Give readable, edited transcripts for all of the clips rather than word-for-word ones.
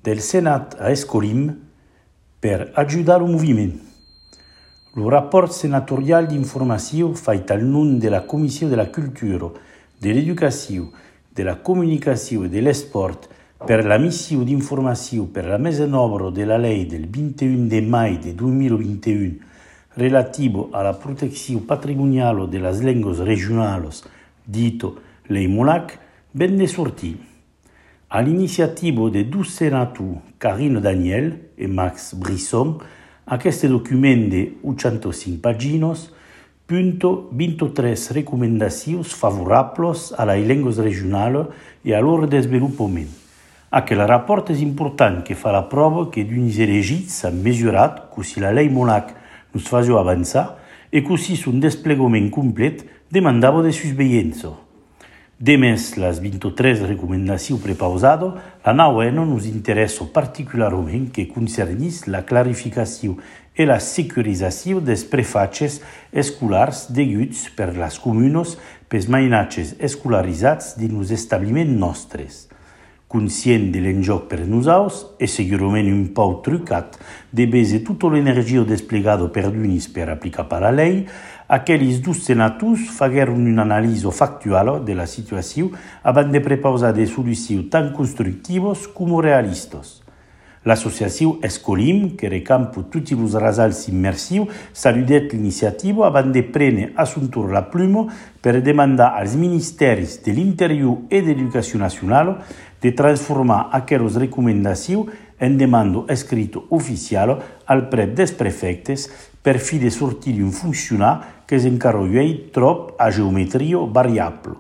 del Senat a Escolim per ajudar el moviment. El rapport senatorial d'informació fet al nom de la Comissió de la Cultura, de l'Educació, de la Comunicació i de l'Esport per la missió d'informació per la mesa en obra de la llei del 21 de maig de 2021 relativo a la protecció patrimonial de les llengües regionals, dito Lei Molac, ben de sortir. A l'iniciativa de dos senators, Karine Daniel e Max Brisson, aquest document de 805 pàgines punta 23 recomanacions favorables a les llengües regionals i a leur desenvolupament. Aquell rapport és important que fa la prova que d'uns elegits han mesurat que si la Lei Molac nos faisait avançar et qu'aussi son desplegament complet demandava de susveillança. Demés les 23 recomanacions prepausades, la nauena nos interessa particularment que concernís la clarificació i la securització dels prefatges escolars deguts per les comunes pels mainatges escolaritzats dins els establiments nostres. Conscient de l'enjoc per nosaltres, e segurament un pau trucat de base tota l'energia desplegada per d'unis per aplicar per la llei, aquells dos senators fagueren una anàlisi factual de la situació abans de prepausar des solucions tan constructives com realistes. L'associació Escolim, que recampa tots els rasals immersius, saludet l'iniciativa abans de prendre a son tour la pluma per demandar als ministeris de l'Interior i de l'Educació Nacional de transformar aquelles recomanacions en demanda escrita oficial al prep dels prefectes per fi de sortir d'un funcionar que s'encara llueix trop a geometria variable.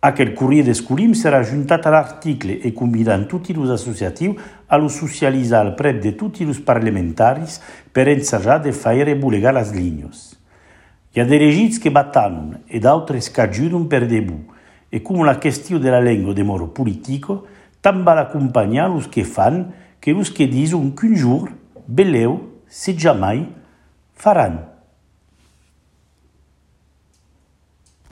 Aquel courrier d'Escolim serà ajuntat a l'article e convidant tots els associatius a lo socialitzar al prep de tots els parlamentaris per ensajar de fer rebulegar les línies. Hi ha elegits que batallen e d'altres que ajuden per debut, e com la qüestió de la llengua de moro político, tant val acompanyar els que fan que els que diuen qu'un jour, beleu, se jamais, faran.